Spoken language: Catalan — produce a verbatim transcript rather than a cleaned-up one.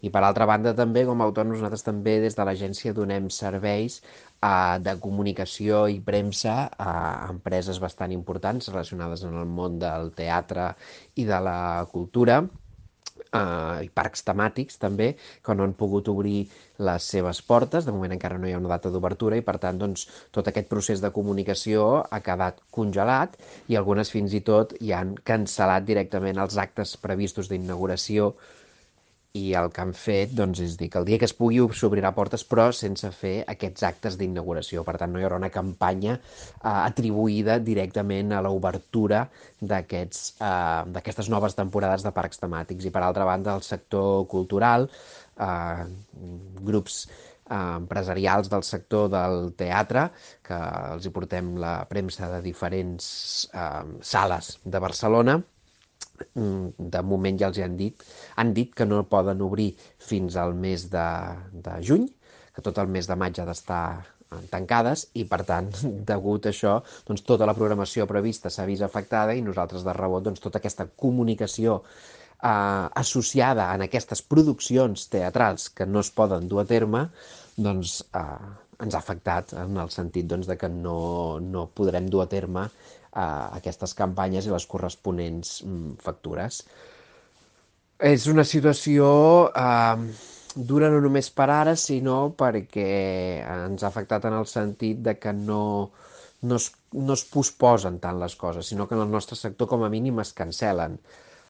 I per altra banda també, com a autònoms, nosaltres també des de l'agència donem serveis eh, de comunicació i premsa a empreses bastant importants relacionades amb el món del teatre i de la cultura, eh, i parcs temàtics també, que no han pogut obrir les seves portes. De moment encara no hi ha una data d'obertura i per tant doncs, tot aquest procés de comunicació ha quedat congelat i algunes fins i tot hi han cancel·lat directament els actes previstos d'inauguració, i el que han fet doncs, és dir que el dia que es pugui s'obrirà portes però sense fer aquests actes d'inauguració. Per tant, no hi haurà una campanya eh, atribuïda directament a l'obertura d'aquests, eh, d'aquestes noves temporades de parcs temàtics. I per altra banda, el sector cultural, eh, grups eh, empresarials del sector del teatre, que els hi portem la premsa de diferents eh, sales de Barcelona, de moment ja els han dit, han dit que no poden obrir fins al mes de, de juny, que tot el mes de maig ha d'estar tancades i, per tant, degut a això, doncs, tota la programació prevista s'ha vist afectada i nosaltres de rebot doncs, tota aquesta comunicació eh, associada en aquestes produccions teatrals que no es poden dur a terme, doncs eh, ens ha afectat en el sentit doncs, de que no, no podrem dur a terme eh, aquestes campanyes i les corresponents mm, factures. És una situació eh, dura no només per ara, sinó perquè ens ha afectat en el sentit de que no, no, es, no es posposen tant les coses, sinó que en el nostre sector com a mínim es cancel·len.